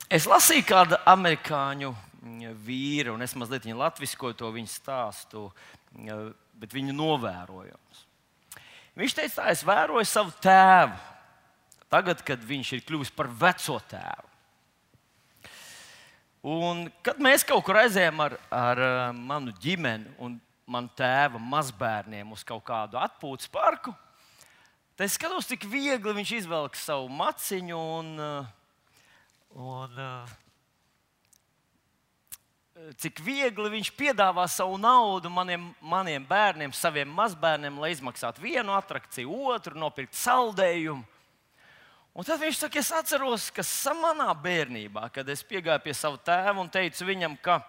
Es lasīju kādu amerikāņu vīru, un es mazliet viņu latviskoju to viņa stāstu, bet viņu novērojums. Viņš teica, tā, es vēroju savu tēvu, tagad, kad viņš ir kļuvis par veco tēvu. Un, kad mēs kaut kur aizējām ar manu ģimeni un manu tēva mazbērniem uz kaut kādu atpūtas parku, tad es skatos, cik viegli viņš izvelk savu maciņu un cik viegli viņš piedāvā savu naudu maniem bērniem, saviem mazbērniem, lai izmaksātu vienu atrakciju, otru, nopirkt saldējumu. Un tad viņš saka, es atceros, ka manā bērnībā, kad es piegāju pie sava tēva un teicu viņam, ka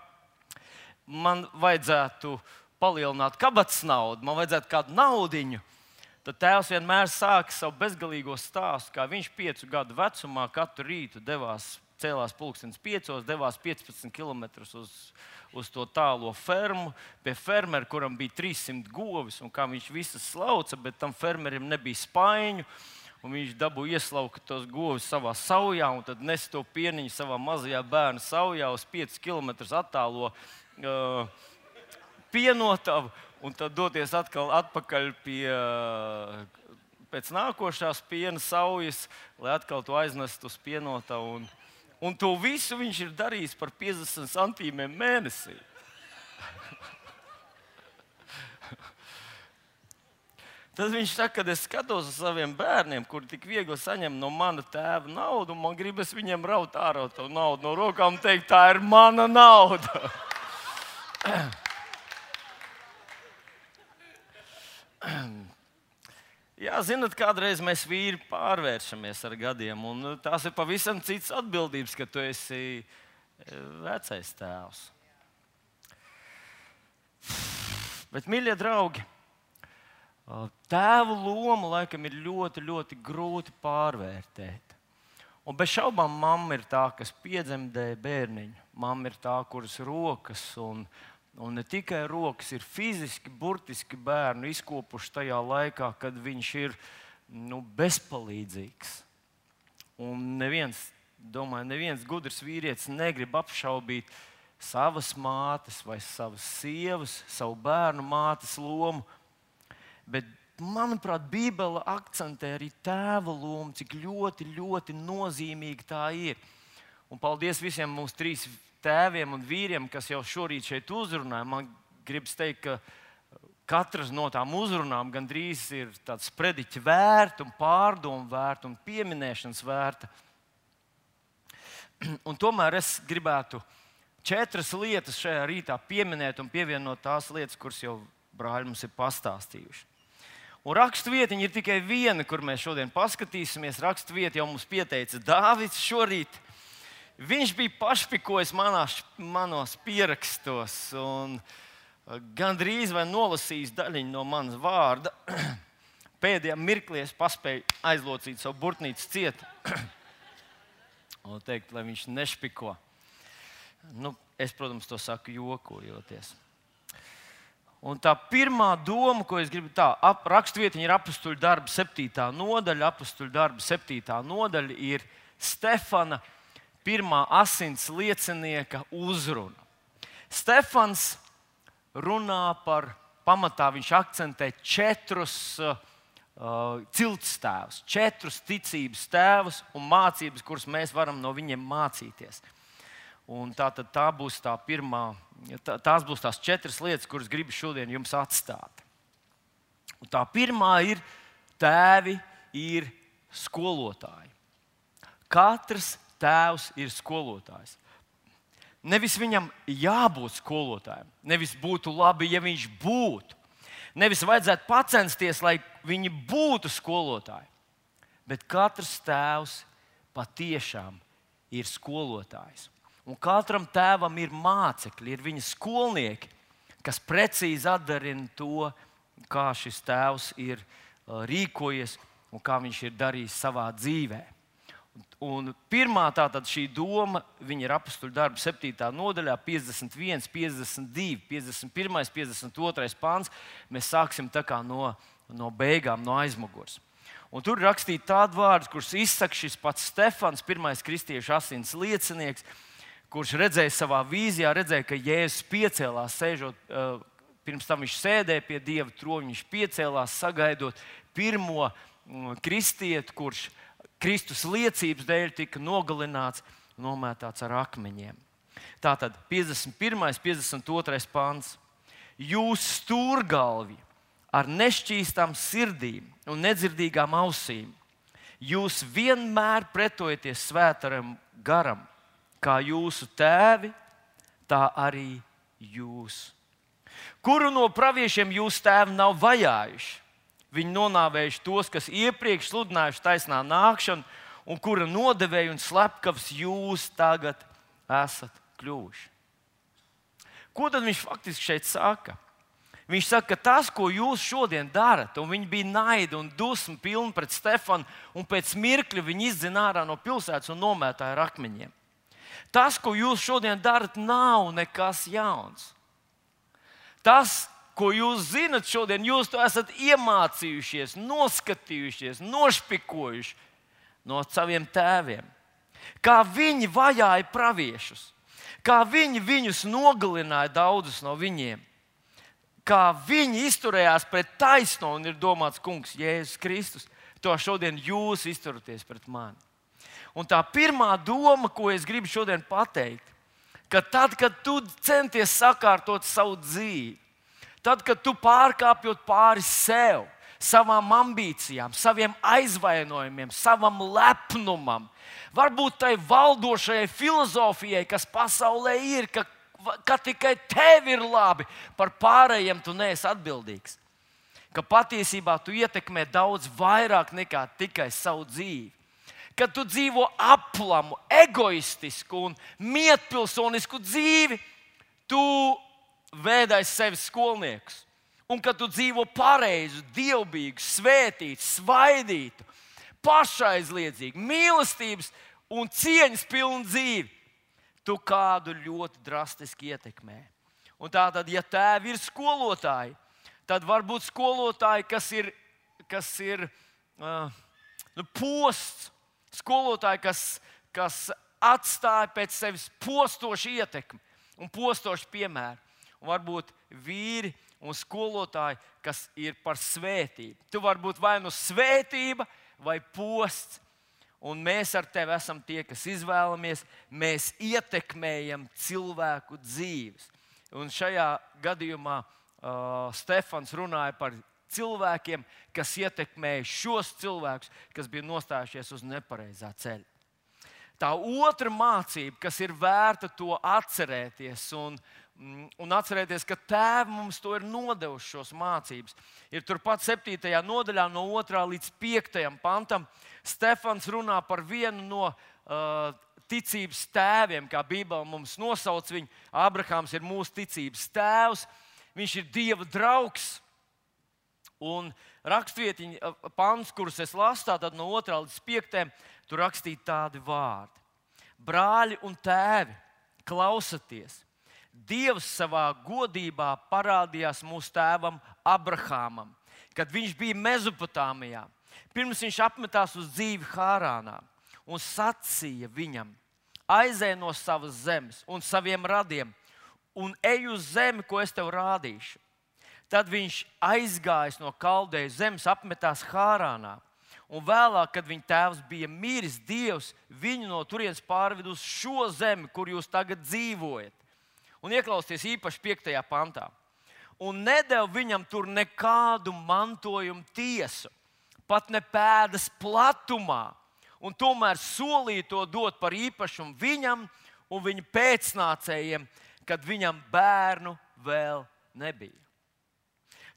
man vajadzētu palielināt kabatas naudu, man vajadzētu kādu naudiņu, tad tēvs vienmēr sāka savu bezgalīgo stāstu, kā viņš 5 gadu vecumā katru rītu cēlās pulkstenis 5, devās 15 km uz to tālo fermu, pie fermera, kuram bija 300 govis, un kā viņš visas slauca, bet tam fermerim nebija spaiņu. Un viņš dabūja ieslaukt tos govis savā saujā, un tad nes to pieniņu savā mazajā bērna saujā uz 5 km attālo pienotavu, un tad doties atpakaļ pēc nākošās piena saujas, lai atkal to aiznestu uz pienotavu. Un to visu viņš ir darījis par 50 centīmiem mēnesī. Tad viņš saka, kad es skatos uz saviem bērniem, kuri tik viegli saņem no mana tēva naudu, un man gribas viņiem raut ārā to naudu no rokām un teikt, tā ir mana nauda. Jā, zināt, kādreiz mēs vīri pārvēršamies ar gadiem, un tās ir pavisam citas atbildības, ka tu esi vecais tēvs. Bet, mīļie draugi, tēva lomu laikam ir ļoti, ļoti grūti pārvērtēt. Un bez šaubām mamma ir tā, kas piedzemdē bērniņu. Mamma ir tā, kuras rokas, un ne tikai rokas, ir fiziski, burtiski bērnu izkopuši tajā laikā, kad viņš ir bezpalīdzīgs. Un neviens gudrs vīrietis negrib apšaubīt savas mātes vai savas sievas, savu bērnu mātes lomu. Bet, manuprāt, Bībele akcentē arī tēva lomu, cik ļoti, ļoti nozīmīga tā ir. Un paldies visiem mūsu 3 tēviem un vīriem, kas jau šorīt šeit uzrunāja. Man gribas teikt, ka katrs no tām uzrunām gandrīz ir tāds prediķa vērta un pārdomu vērta un pieminēšanas vērta. Un tomēr es gribētu 4 lietas šajā rītā pieminēt un pievienot tās lietas, kuras jau brāļi mums ir pastāstījuši. Un raksturvietiņa ir tikai viena, kur mēs šodien paskatīsimies. Raksturvieta jau mums pieteica Dāvids šorīt. Viņš bija pašpikojis manos pierakstos un gandrīz vai nolasījis daļiņu no manas vārda. Pēdējā mirklī es paspēju aizlocīt savu burtnīcu ciet un teikt, lai viņš nešpiko. Es, protams, to saku jokojoties. Un tā pirmā doma, ko es gribu raksturvietiņa ir Apostuļu darba 7. nodaļa. Apostuļu darba 7. nodaļa ir Stefana pirmā asins liecinieka uzruna. Stefans runā pamatā viņš akcentē 4 cilts tēvus, 4 ticības tēvus un mācības, kuras mēs varam no viņiem mācīties. Un tās būs tās 4 lietas, kuras gribu šodien jums atstāt. Un tā pirmā ir, tēvi ir skolotāji. Katrs tēvs ir skolotājs. Nevis viņam jābūt skolotājam, nevis būtu labi, ja viņš būtu. Nevis vajadzētu pacensties, lai viņi būtu skolotāji. Bet katrs tēvs patiešām ir skolotājs. Un katram tēvam ir mācekļi, ir viņa skolnieki, kas precīzi atdarina to, kā šis tēvs ir rīkojies un kā viņš ir darījis savā dzīvē. Un pirmā šī doma ir Apostuļu darba 7. nodaļā, 51, 52, 51, 52 pāns. Mēs sāksim no beigām, no aizmugures. Un tur ir rakstīti tādi vārdi, kurus izsaka šis pats Stefans, pirmais kristiešu asins liecinieks, kurš redzēja savā vīzijā, ka Jēzus piecēlās, sēžot, pirms tam viņš sēdēja pie Dieva troņa, viņš piecēlās, sagaidot pirmo kristieti, kurš Kristus liecības dēļ tika nogalināts, nomētāts ar akmeņiem. Tātad 51. 52. pants. Jūs stūrgalvi ar nešķīstām sirdīm un nedzirdīgām ausīm, jūs vienmēr pretojaties svētajam garam, kā jūsu tēvi, tā arī jūs. Kuru no praviešiem jūsu tēvi nav vajājuši? Viņi nonāvējuši tos, kas iepriekš sludinājuši taisnā nākšanu, un kura nodevēja un slepkavs jūs tagad esat kļuvuši. Ko tad viņš faktiski šeit saka? Viņš saka, ka tas, ko jūs šodien darat, un viņi bija naida un dusma pilni pret Stefanu, un pēc mirkļa viņi izdzina ārā no pilsētas un nomētāja ar akmeņiem. Tas, ko jūs šodien darat, nav nekas jauns. Tas, ko jūs zinat šodien, jūs to esat iemācījušies, noskatījušies, nošpikojuši no saviem tēviem. Kā viņi vajāja praviešus, kā viņi viņus nogalināja, daudzus no viņiem, kā viņi izturējās pret taisno, un ir domāts kungs Jēzus Kristus, to šodien jūs izturaties pret mani. Un tā pirmā doma, ko es gribu šodien pateikt, ka tad, kad tu centies sakārtot savu dzīvi, tad, kad tu pārkāpjot pāri sev, savām ambīcijām, saviem aizvainojumiem, savam lepnumam, varbūt tai valdošajai filozofijai, kas pasaulē ir, ka tikai tev ir labi, par pārējiem tu neesi atbildīgs. Ka patiesībā tu ietekmē daudz vairāk nekā tikai savu dzīvi. Kad tu dzīvo aplamu, egoistisku un mietpilsonisku dzīvi, tu vēdāji sevi skolniekus. Un kad tu dzīvo pareizu, dievbijīgu, svētītu, svaidītu, pašaizliedzīgu, mīlestības un cieņas pilnu dzīvi, tu kādu ļoti drastiski ietekmē. Un tātad, ja tēvi ir skolotāji, tad varbūt skolotāji, kas ir posts, skolotāji, kas atstāja pēc sevis postošu ietekmi un postošu piemēru. Un varbūt vīri un skolotāji, kas ir par svētību. Tu vari būt vai nu svētība vai posts. Un mēs ar tevi esam tie, kas izvēlamies, mēs ietekmējam cilvēku dzīves. Un šajā gadījumā Stefans runāja par cilvēkiem, kas ietekmēja šos cilvēkus, kas bija nostājušies uz nepareizā ceļa. Tā otra mācība, kas ir vērta to atcerēties un atcerēties, ka tēvi mums to ir nodevuši šos mācības, ir turpat 7. nodaļā no 2. līdz 5. pantam. Stefans runā par vienu no ticības tēviem, kā Bībele mums nosauc viņu. Abrahams ir mūsu ticības tēvs, viņš ir Dieva draugs. Un rakstvietiņa pants, kurus es lasu, tad no 2. līdz 5. tur rakstīti tādi vārdi. Brāļi un tēvi, klausieties! Dievs savā godībā parādījās mūsu tēvam Abrahamam, kad viņš bija Mezopotāmijā. Pirms viņš apmetās uz dzīvi Hārānā un sacīja viņam: aizej no savas zemes un saviem radiem un ej uz zemi, ko es tev rādīšu. Tad viņš aizgājis no Kaldeju zemes, apmetās Hārānā. Un vēlāk, kad viņa tēvs bija miris, Dievs viņu no turienes pārveda uz šo zemi, kur jūs tagad dzīvojat. Un ieklausieties īpaši 5. pantā. Un nedeva viņam tur nekādu mantojumu tiesu, pat ne pēdas platumā. Un tomēr solīja to dot par īpašumu viņam un viņa pēcnācējiem, kad viņam bērnu vēl nebija.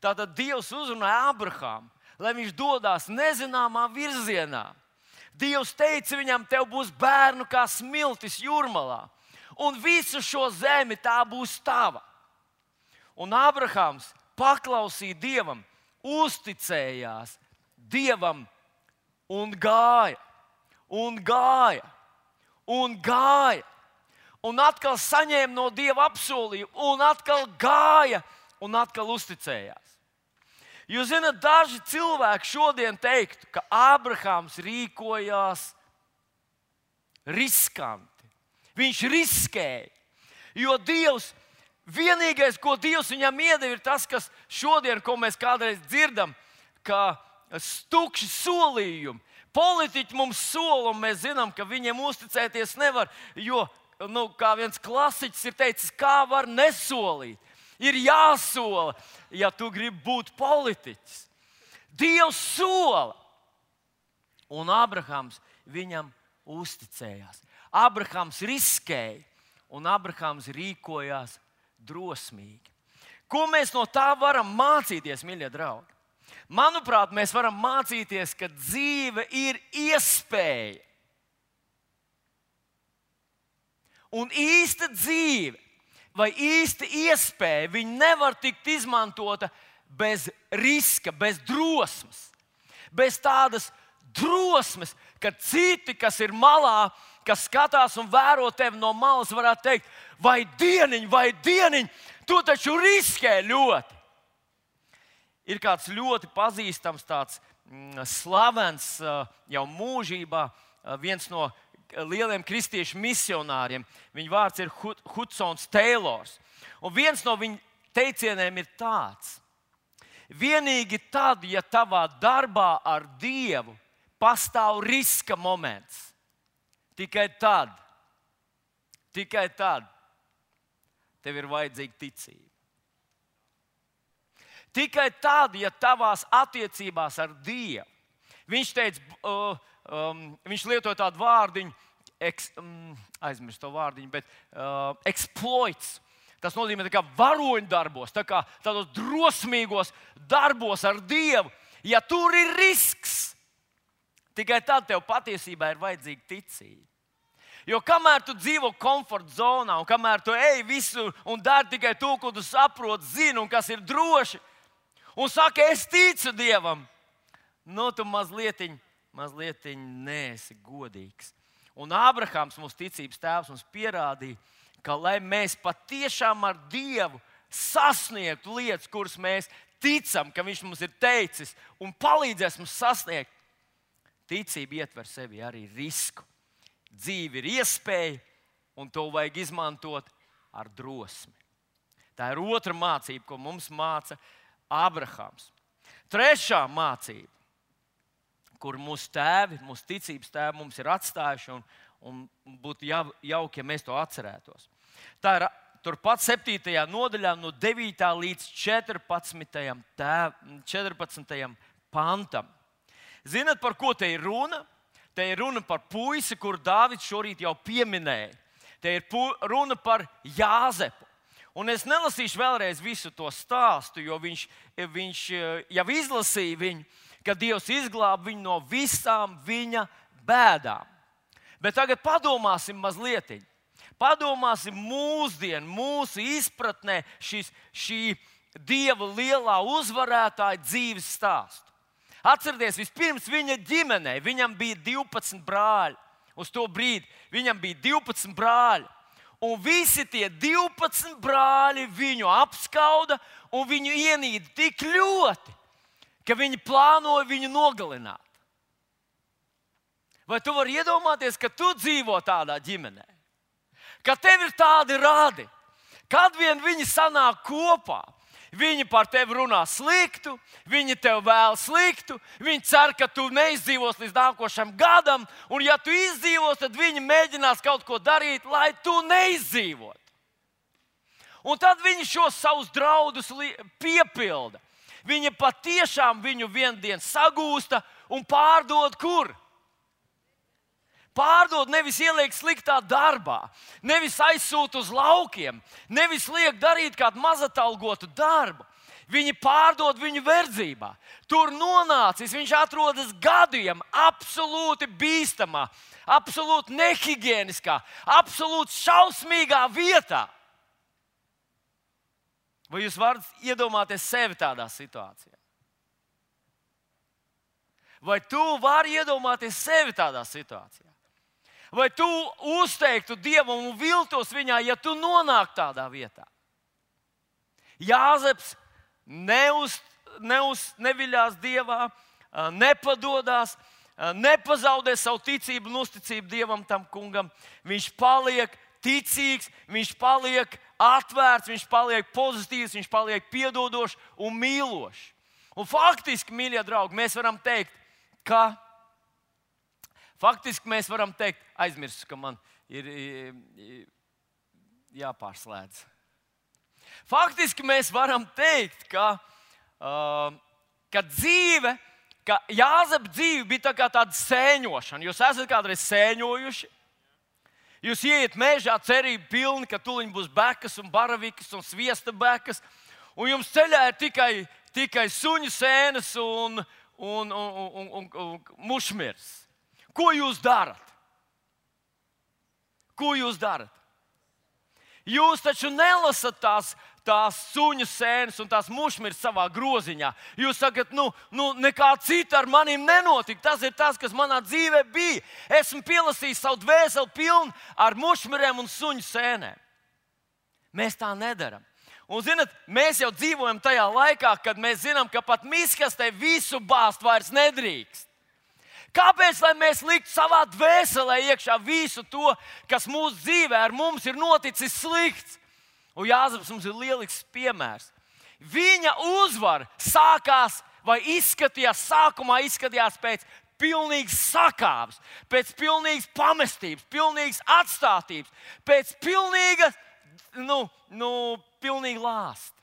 Tātad Dievs uzrunāja Abrahāmu, lai viņš dodas nezināmā virzienā. Dievs teica viņam: tev būs bērnu kā smiltis jūrmalā. Un visu šo zemi tā būs tava. Un Abrahams paklausīja Dievam, uzticējās Dievam un gāja, un gāja, un gāja. Un atkal saņēma no Dieva apsolījumu, un atkal gāja, un atkal uzticējās. Jūs zināt, daži cilvēki šodien teiktu, ka Ābrahāms rīkojās riskanti. Viņš riskēja, jo Dievs, vienīgais, ko Dievs viņam iedeva, ir tas, kas šodien, ko mēs kādreiz dzirdam, ka tukši solījumi. Politiķi mums sola, un mēs zinām, ka viņiem uzticēties nevar, jo, kā viens klasiķis ir teicis, kā var nesolīt? Ir jāsola, ja tu gribi būt politiķis. Dievs sola. Un Ābrahāms viņam uzticējās. Ābrahāms riskēja, un Ābrahāms rīkojās drosmīgi. Ko mēs no tā varam mācīties, mīļie draugi? Manuprāt, mēs varam mācīties, ka dzīve ir iespēja. Un īsta dzīve vai īsta iespēja, viņa nevar tikt izmantota bez riska, bez drosmes. Bez tādas drosmes, ka citi, kas ir malā, kas skatās un vēro tevi no malas, varētu teikt, vai dieniņ, tu taču riskē ļoti. Ir kāds ļoti pazīstams, tāds slavens jau mūžībā, viens no lieliem kristiešu misionāriem. Viņa vārds ir Hudsons Teilors. Un viens no viņa teicieniem ir tāds: vienīgi tad, ja tavā darbā ar Dievu pastāv riska moments, tikai tad tev ir vajadzīga ticība. Tikai tad, ja tavās attiecībās ar Dievu, viņš teica, viņš lietoja tādu vārdiņu, aizmirst to vārdiņu, bet exploits. Tas nozīmē tā kā varoņdarbos, tā kā tādos drosmīgos darbos ar Dievu. Ja tur ir risks, tikai tad tev patiesībā ir vajadzīga ticība. Jo kamēr tu dzīvo komforta zonā, un kamēr tu ej visur un dari tikai to, ko tu saproti, zini, un kas ir droši, un saka, es ticu Dievam, tu mazliet neesi godīgs. Un Ābrahāms, mūsu ticības tēvs, mums pierādīja, ka lai mēs patiešām ar Dievu sasniegtu lietas, kuras mēs ticam, ka Viņš mums ir teicis un palīdzēs mums sasniegt, ticība ietver sevi arī risku. Dzīve ir iespēja, un to vajag izmantot ar drosmi. Tā ir otra mācība, ko mums māca Ābrahāms. Trešā mācība, kur mūsu tēvi, mūsu ticības tēvi mums ir atstājuši, un būtu jauki, ja mēs to atcerētos. Tā ir turpat 7. nodaļā, no 9. līdz 14. pantam. Zinat, par ko te ir runa? Te ir runa par puisi, kuru Dāvids šorīt jau pieminēja. Te ir runa par Jāzepu. Un es nelasīšu vēlreiz visu to stāstu, jo viņš jau izlasīja viņu, ka Dievs izglāba viņu no visām viņa bēdām. Bet tagad padomāsim mazliet. Padomāsim mūsu izpratnē šī Dieva lielā uzvarētāja dzīves stāstu. Atcerieties, vispirms viņa ģimenei, viņam bija 12 brāļi. Uz to brīdi viņam bija 12 brāļi. Un visi tie 12 brāļi viņu apskauda un viņu ienīda tik ļoti, ka viņi plānoja viņu nogalināt. Vai tu vari iedomāties, ka tu dzīvo tādā ģimenē? Ka tev ir tādi radi, kad vien viņi sanāk kopā, viņi par tevi runā sliktu, viņi tev vēl sliktu, viņi cer, ka tu neizdzīvos līdz nākošam gadam, un ja tu izdzīvos, tad viņi mēģinās kaut ko darīt, lai tu neizdzīvotu. Un tad viņi šos savus draudus piepilda. Viņi patiešām viņu vienu dienu sagūsta un pārdod kur? Pārdod, nevis ieliek sliktā darbā, nevis aizsūta uz laukiem, nevis liek darīt kādu mazatalgotu darbu. Viņi pārdod viņu verdzībā. Tur nonācis, viņš atrodas gadiem absolūti bīstamā, absolūti nehigieniskā, absolūti šausmīgā vietā. Vai jūs varat iedomāties sevi tādā situācijā? Vai tu vari iedomāties sevi tādā situācijā? Vai tu uzteiktu Dievam un viltos viņā, ja tu nonāk tādā vietā? Jāzeps neviļās Dievā, nepadodās, nepazaudē savu ticību un uzticību Dievam, tam kungam. Viņš paliek ticīgs, viņš paliek atvērts, viņš paliek pozitīvs, viņš paliek piedodošs un mīlošs. Un faktiski, mīļie draugi, mēs varam teikt, aizmirsu, ka man ir jāpārslēdz. Faktiski mēs varam teikt, ka dzīve, ka Jāzepa dzīve bija tā kā tāda sēņošana. Jūs esat kādreiz sēņojuši? Jūs ieiet mežā cerību pilni, ka tuliņ būs bekas un baravikas un sviesta bekas, un jums ceļā ir tikai suņu sēnes un mušmirs. Ko jūs darat? Jūs taču nelasat tās suņu sēnes un tās mušmirs savā groziņā. Jūs sakat, nekā cita ar maniem nenotika. Tas ir tas, kas manā dzīvē bija. Esmu pielasījis savu dvēseli pilnu ar mušmiriem un suņu sēnēm. Mēs tā nedaram. Un, zināt, mēs jau dzīvojam tajā laikā, kad mēs zinām, ka pat miskastē visu bāzt vairs nedrīkst. Kāpēc, lai mēs liktu savā dvēselē iekšā visu to, kas mūsu dzīvē ar mums ir noticis slikts? Un Jāzeps mums ir lielisks piemērs. Viņa uzvara sākumā izskatījās pēc pilnīgas sakāves, pēc pilnīgas pamestības, pilnīgas atstātības, pēc pilnīga lāsta.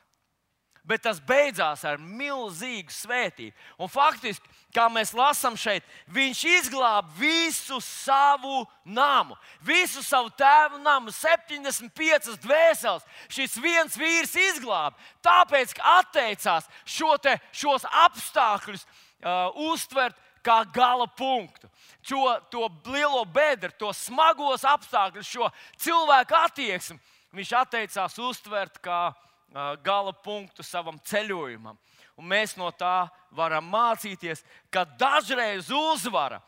Bet tas beidzās ar milzīgu svētību. Un faktiski, kā mēs lasām šeit, viņš izglāba visu savu namu, visu savu tēvu namu, 75 dvēseles. Šis viens vīrs izglāba, tāpēc, ka atteicās šos apstākļus uztvert kā gala punktu. To lielo bedru, to smagos apstākļus, šo cilvēku attieksmi, viņš atteicās uztvert kā gala punktu savam ceļojumam. Un mēs no tā varam mācīties, ka dažreiz uzvara,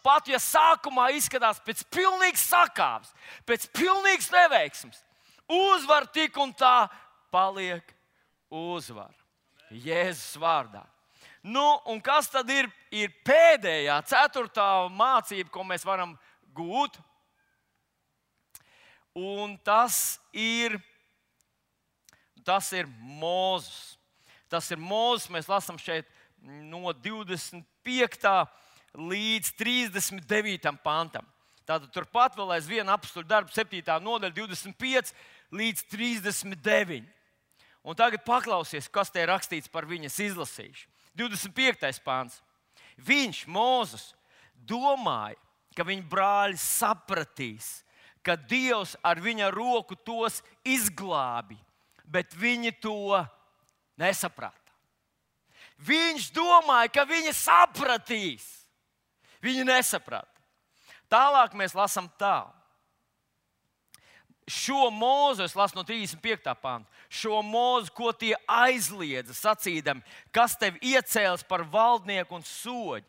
pat ja sākumā izskatās pēc pilnīgas sakāves, pēc pilnīgas neveiksmes, uzvara tik un tā paliek uzvara. Jēzus vārdā. Un kas tad ir pēdējā, 4. mācība, ko mēs varam gūt? Un tas ir Mūzes. Tas ir Mūzes, mēs lasām šeit no 25. līdz 39. pantam. Tātad turpat vēl aizvien apstuļu darbu 7. nodaļa, 25 līdz 39. Un tagad paklausies, kas te ir rakstīts par viņas izlasīšu. 25. pants. Viņš, Mūzes, domāja, ka viņa brāļi sapratīs, ka Dievs ar viņa roku tos izglābi. Bet viņi to nesaprata. Viņš domāja, ka viņi sapratīs. Viņi nesaprata. Tālāk mēs lasām tā. Šo Mūzu, es lasu no 35. panta, šo Mūzu, ko tie aizliedza, sacīdami, kas tev iecēlis par valdnieku un soģi.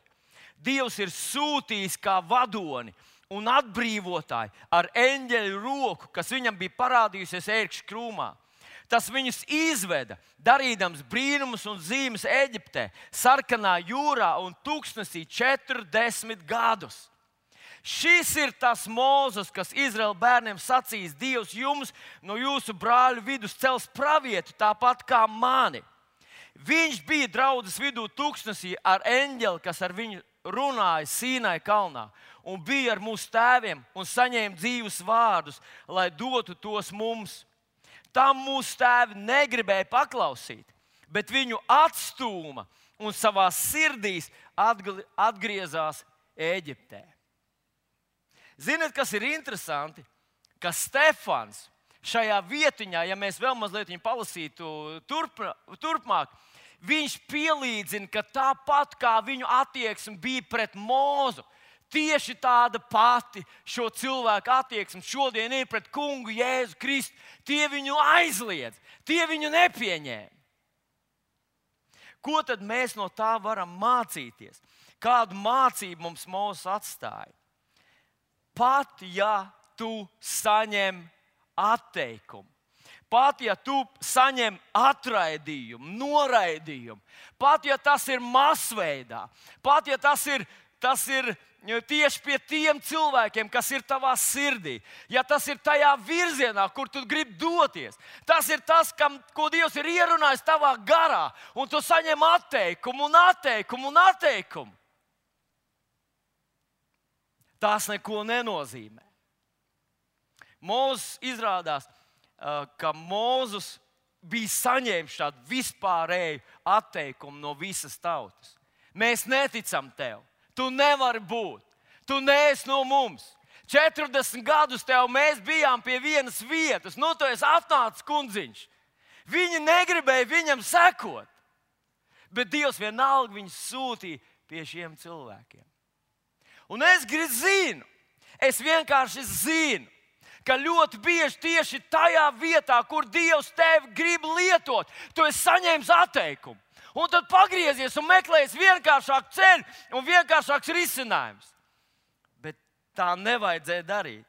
Dievs ir sūtījis kā vadoni un atbrīvotāji ar eņģeļu roku, kas viņam bija parādījusies ērkšķa krūmā. Tas viņus izveda, darīdams brīnumus un zīmes Eģiptē, Sarkanā jūrā un tūkstnesī 40 gadus. Šis ir tas Mūzes, kas Izraēla bērniem sacīs: Dievs jums no jūsu brāļu vidus cels pravietu, tāpat kā mani. Viņš bija draudzes vidū tūkstnesī ar eņģeli, kas ar viņu runāja Sīnai kalnā, un bija ar mūsu tēviem un saņēma dzīvus vārdus, lai dotu tos mums. Tam mūsu tēvi negribēja paklausīt, bet viņu atstūma un savā sirdīs atgriezās Ēģiptē. Ziniet, kas ir interesanti? Ka Stefans šajā vietiņā, ja mēs vēl mazliet viņu palasītu turpmāk, viņš pielīdzina, ka tāpat kā viņu attieksme bija pret Mūzu, tieši tāda pati šo cilvēku attieksme šodien ir pret kungu Jēzu Kristu. Tie viņu aizliedz, tie viņu nepieņēma. Ko tad mēs no tā varam mācīties? Kādu mācību mums Mūzes atstāja? Pat ja tu saņem atteikumu, pat ja tu saņem atraidījumu, noraidījumu, pat ja tas ir masveidā, pat ja tas ir tieši pie tiem cilvēkiem, kas ir tavā sirdī, ja tas ir tajā virzienā, kur tu gribi doties, tas ir tas, ko Dievs ir ierunājis tavā garā, un tu saņem atteikumu. Tas neko nenozīmē. Mūzes izrādās, ka Mūzes bija saņēmis šādu vispārēju atteikumu no visas tautas. Mēs neticam tev. Tu nevari būt. Tu neesi no mums. 40 gadus tev mēs bijām pie vienas vietas. Nu, tu esi atnācis kundziņš. Viņi negribēja viņam sekot. Bet Dievs vienalga viņus sūtīja pie šiem cilvēkiem. Un es vienkārši zinu, ka ļoti bieži tieši tajā vietā, kur Dievs tevi grib lietot, tu esi saņēmis atteikumu. Un tad pagriezies un meklējies vienkāršāku ceļu un vienkāršāks risinājums. Bet tā nevajadzēja darīt.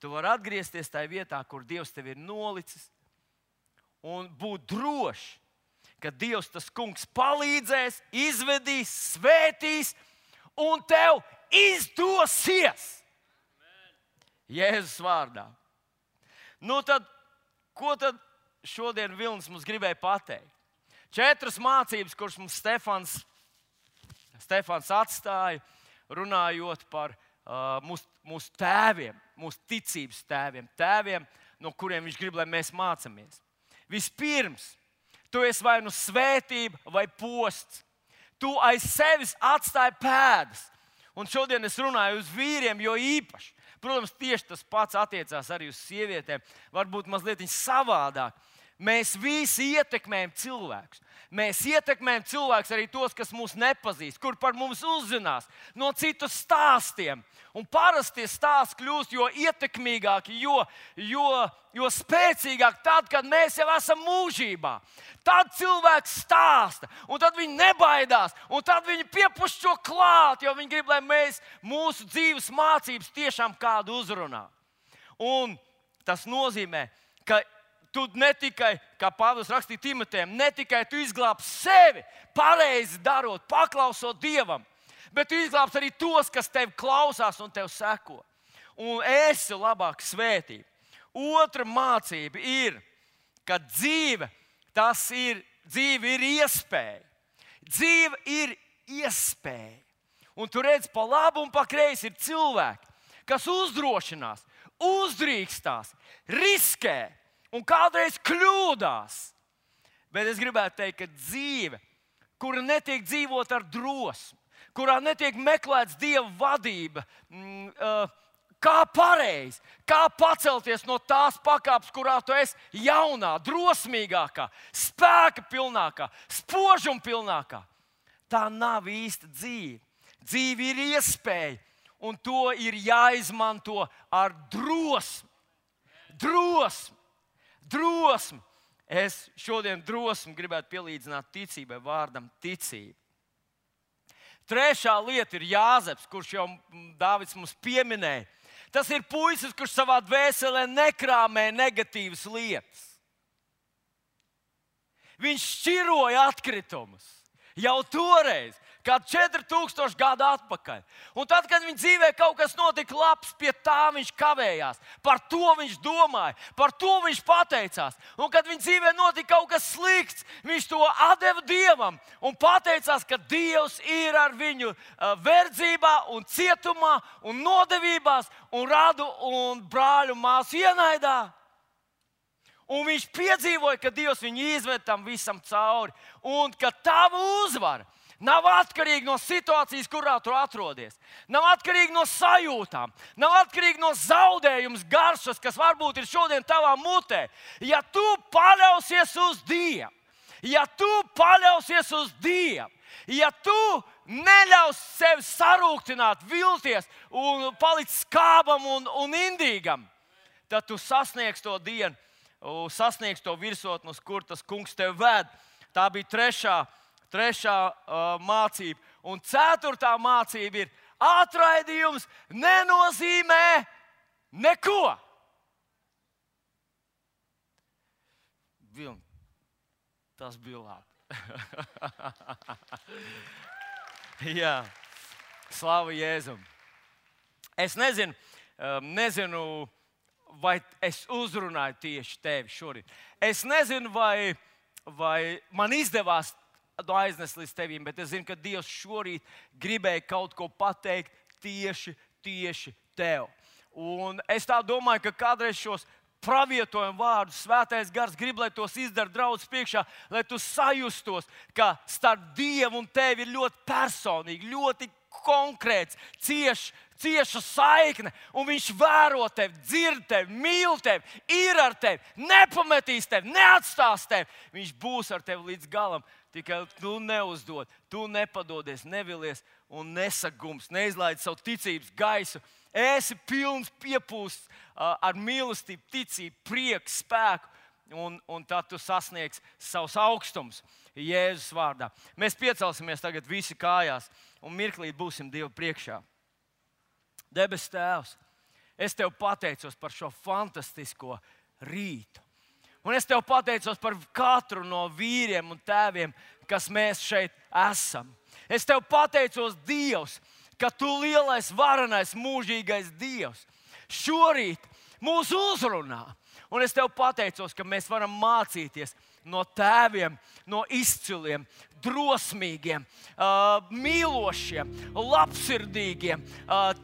Tu vari atgriezties tajā vietā, kur Dievs tevi ir nolicis, un būt drošs, ka Dievs, tas kungs, palīdzēs, izvedīs, svētīs, un tev izdosies. Jēzus vārdā. Nu tad, ko tad šodien Vilnis mums gribēja pateikt? 4 mācības, kuras mums Stefans atstāja, runājot par mūsu tēviem, mūsu ticības tēviem, no kuriem viņš grib, lai mēs mācāmies. Vispirms, tu esi vai nu svētība vai posts. Tu aiz sevis atstāji pēdas. Un šodien es runāju uz vīriem, jo īpaši. Protams, tieši tas pats attiecās arī uz sievietēm. Varbūt mazliet savādāk. Mēs visi ietekmējam cilvēkus. Mēs ietekmējam cilvēkus arī tos, kas mūs nepazīst, kur par mums uzzinās no citu stāstiem. Un parasti tie stāsti kļūst jo ietekmīgāki, jo spēcīgāki tad, kad mēs jau esam mūžībā. Tad cilvēks stāsta, un tad viņi nebaidās, un tad viņi piepuš šo klāt, jo viņi grib, lai mēs mūsu dzīves mācības tiešām kādu uzrunā. Un tas nozīmē, ka tu ne tikai, kā Pāvils rakstīja Timotejam, ne tikai tu izglābsi sevi, pareizi darot, paklausot Dievam, bet tu izglābsi arī tos, kas tevi klausās un tev seko. Un esi labāk svētība. Otra mācība ir, ka dzīve ir iespēja. Dzīve ir iespēja. Un tu redzi, pa labu un pa kreisi ir cilvēki, kas uzdrošinās, uzdrīkstās, riskē. Un kādreiz kļūdās. Bet es gribētu teikt, ka dzīve, kura netiek dzīvot ar drosmi, kurā netiek meklēts Dieva vadība, kā pareizi, kā pacelties no tās pakāpes, kurā tu esi jaunā, drosmīgākā, spēka pilnākā, spožuma pilnākā. Tā nav īsta dzīve. Dzīve ir iespēja, un to ir jāizmanto ar drosmi. Drosmi. Es šodien drosmi gribētu pielīdzināt ticībai, vārdam ticība. Trešā lieta ir Jāzeps, kurš jau Dāvids mums pieminēja. Tas ir puisis, kurš savā dvēselē nekrāmē negatīvas lietas. Viņš šķiroja atkritumus jau toreiz, kā 4000 gadu atpakaļ. Un tad, kad viņa dzīvē kaut kas notika labs, pie tā viņš kavējās. Par to viņš domāja, par to viņš pateicās. Un kad viņa dzīvē notika kaut kas slikts, viņš to atdeva Dievam un pateicās, ka Dievs ir ar viņu verdzībā un cietumā un nodevībās un radu un brāļu māsu ienaidā. Un viņš piedzīvoja, ka Dievs viņu izved tam visam cauri un ka tava uzvara nav atkarīgi no situācijas, kurā tu atrodies. Nav atkarīgi no sajūtām. Nav atkarīgi no zaudējuma garšas, kas varbūt ir šodien tavā mutē. Ja tu paļausies uz Dievu, ja tu neļaus sevi sarūktināt, vilties un palikt skābam un indīgam, tad tu sasniegsi to dienu, sasniegsi to virsotni, uz kur tas kungs tevi ved. Tā bija trešā mācība. Un 4. mācība ir, atraidījums nenozīmē neko. bija labi. Jā, slāva Jēzum. Es nezinu, vai es uzrunāju tieši tevi šorīt. Es nezinu, vai man izdevās aiznest līdz tevim, bet es zinu, ka Dievs šorīt gribēja kaut ko pateikt tieši tev. Un es tā domāju, ka kādreiz šos pravietojumu vārdus Svētais Gars grib, lai tos izdara draudzes priekšā, lai tu sajustos, ka starp Dievu un tevi ir ļoti personīgi, ļoti konkrēts, cieša saikne, un viņš vēro tevi, dzird tevi, mīl tevi, ir ar tevi, nepametīs tevi, neatstās tevi. Viņš būs ar tevi līdz galam. Tikai tu neuzdod, tu nepadodies, nevilies un nesagums, neizlaid savu ticības gaisu. Esi pilns piepūsts ar mīlestību, ticību, prieku, spēku, un tad tu sasniegsi savus augstumus Jēzus vārdā. Mēs piecelsimies tagad visi kājās un mirklīt būsim Dievu priekšā. Debes Tēvs, es Tev pateicos par šo fantastisko rītu. Un es Tev pateicos par katru no vīriem un tēviem, kas mēs šeit esam. Es Tev pateicos, Dievs, ka Tu lielais, varenais, mūžīgais Dievs šorīt mūs uzrunā. Un es Tev pateicos, ka mēs varam mācīties no tēviem, no izciliem, drosmīgiem, mīlošiem, labsirdīgiem,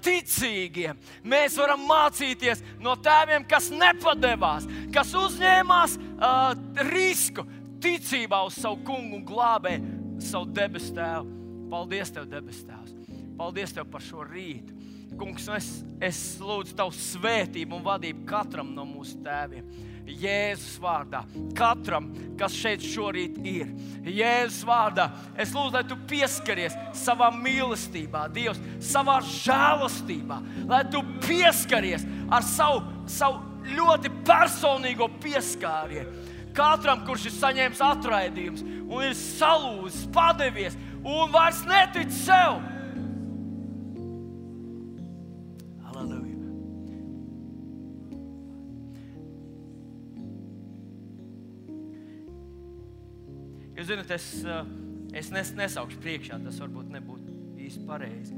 ticīgiem. Mēs varam mācīties no tēviem, kas nepadevās, kas uzņēmās risku ticībā uz savu kungu un glābēju, savu debes Tēvu. Paldies Tev, debes Tēvs! Paldies Tev par šo rītu! Kungs, es lūdzu Tavu svētību un vadību katram no mūsu tēviem. Jēzus vārdā, katram, kas šeit šorīt ir. Jēzus vārdā, es lūdzu, lai Tu pieskaries savā mīlestībā, Dievs, savā žēlastībā, lai Tu pieskaries ar savu ļoti personīgo pieskārienu. Katram, kurš ir saņēmis atraidījums un ir salūzis, padevies un vairs netic sev. Jūs zināt, es nesaukšu priekšā, tas varbūt nebūtu īsti pareizi.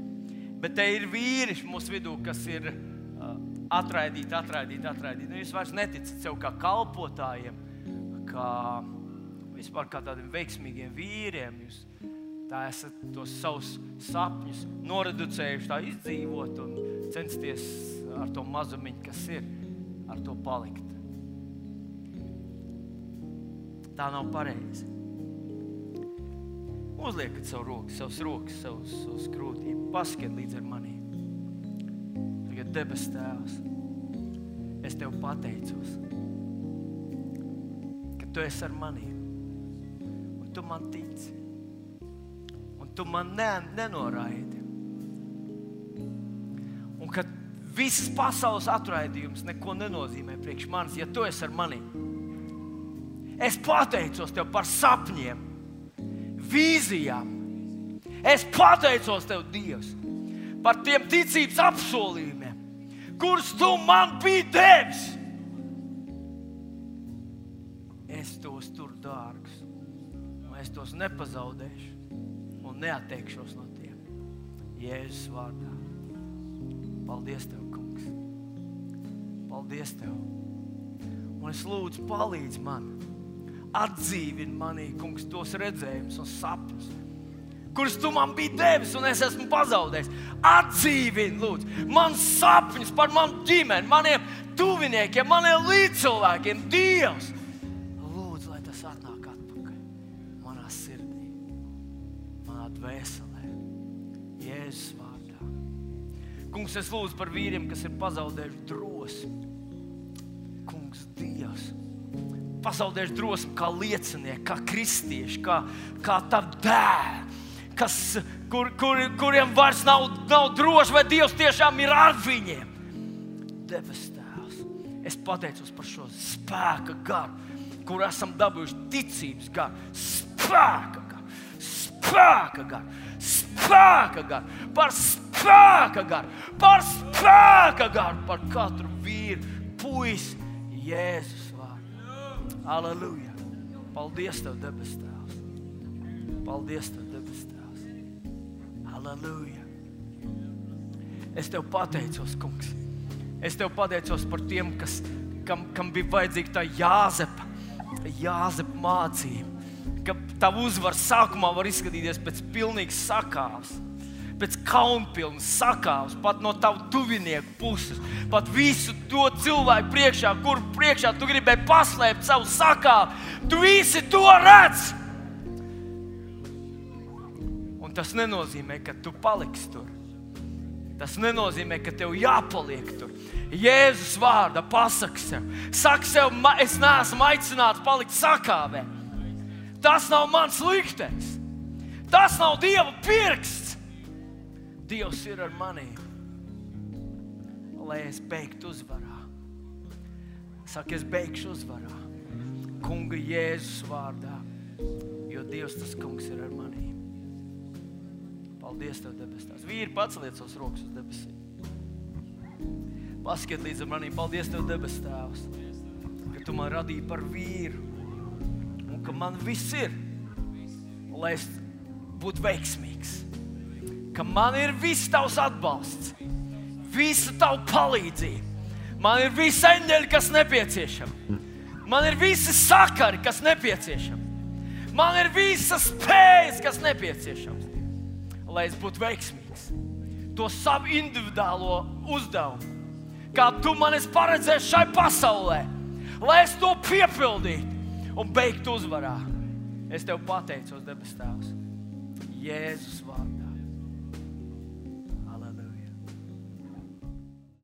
Bet te ir vīriši mūsu vidū, kas ir atraidīti. Nu, jūs vairs neticat sev kā kalpotājiem, vispār kā tādiem veiksmīgiem vīriem. Jūs tā esat tos savus sapņus noreducējuši, tā izdzīvot un censties ar to mazumiņu, kas ir, ar to palikt. Tā nav pareizi. Uzliekat savas rokas, savus krūtīm. Paskiet līdz ar manī. Tagad debes Tēvs, es Tev pateicos, ka Tu esi ar manī. Un Tu man tici. Un Tu man nenoraidi. Un ka viss pasaules atraidījums neko nenozīmē priekš manis, ja Tu esi ar manī. Es pateicos Tev par sapņiem, vīzijām. Es pateicos Tev, Dievs, par tiem ticības apsolījumiem, kurus Tu man biji devis. Es tos turu dārgus, un es tos nepazaudēšu un neatteikšos no tiem. Jēzus vārdā. Paldies Tev, kungs. Paldies Tev. Un es lūdzu, palīdzi man. Atdzīvini manī, kungs, tos redzējumus un sapņus, kurus Tu man biji devis un es esmu pazaudējis. Atdzīvini, lūdzu, man sapņus par manu ģimeni, maniem tuviniekiem, maniem līdzcilvēkiem. Dievs, lūdzu, lai tas atnāk atpakaļ manā sirdī, manā dvēselē. Jēzus vārdā. Kungs, es lūdzu par vīriem, kas ir pazaudējuši drosmi. Kungs, Dievs, pazaudējuši drosmi kā liecinieki, kā kristieši, kā Tavi dēli, kuriem vairs nav droši, vai Dievs tiešām ir ar viņiem. Debes Tēvs, es pateicos par šo spēka garu, kur esam dabūjuši ticības garu, spēka garu, par katru vīru, puisi, Jēzus vārdā. Halleluja! Paldies Tev, debes Tēvs. Paldies Tev, debes Tēvs. Halleluja. Es Tev pateicos, kungs. Es Tev pateicos par tiem, kam bija vajadzīga tā Jāzepa mācība. Ka Tava uzvara sākumā var izskatīties pēc pilnīgas sakāves, pēc kaunpilnas sakāves, pat no Tavu tuvinieku puses, pat visu to cilvēku priekšā, kur priekšā Tu gribēji paslēpt savu sakāvi. Tu visi to redz! Un tas nenozīmē, ka Tu paliksi tur. Tas nenozīmē, ka Tev jāpaliek tur. Jēzus vārdā pasaki sev. Saki sev, es neesmu aicināts palikt sakāvē. Tas nav mans liktenis. Tas nav Dieva pirksts. Dievs ir ar manī. Lai es beigtu uzvarā. Saki, es beigšu uzvarā. Kunga Jēzus vārdā. Jo Dievs tas kungs ir ar manī. Paldies Tev, debes Tēvs. Vīri, paceliet savus rokas uz debesīm. Paskiet līdz ar manī. Paldies Tev, debes Tēvs, ka Tu man radīji par vīru un ka man viss ir, lai es būtu veiksmīgs. Ka man ir viss Tavs atbalsts, visa Tava palīdzība. Man ir visi eņģeļi, kas nepieciešami. Man ir visi sakari, kas nepieciešami. Man ir visas spējas, kas nepieciešams. Lai es būtu veiksmīgs. To savu individuālo uzdevumu, kā Tu man esi paredzējis šai pasaulē, lai es to piepildītu un beigtu uzvarā. Es Tev pateicos, debes Tēvs, Jēzus vārdā.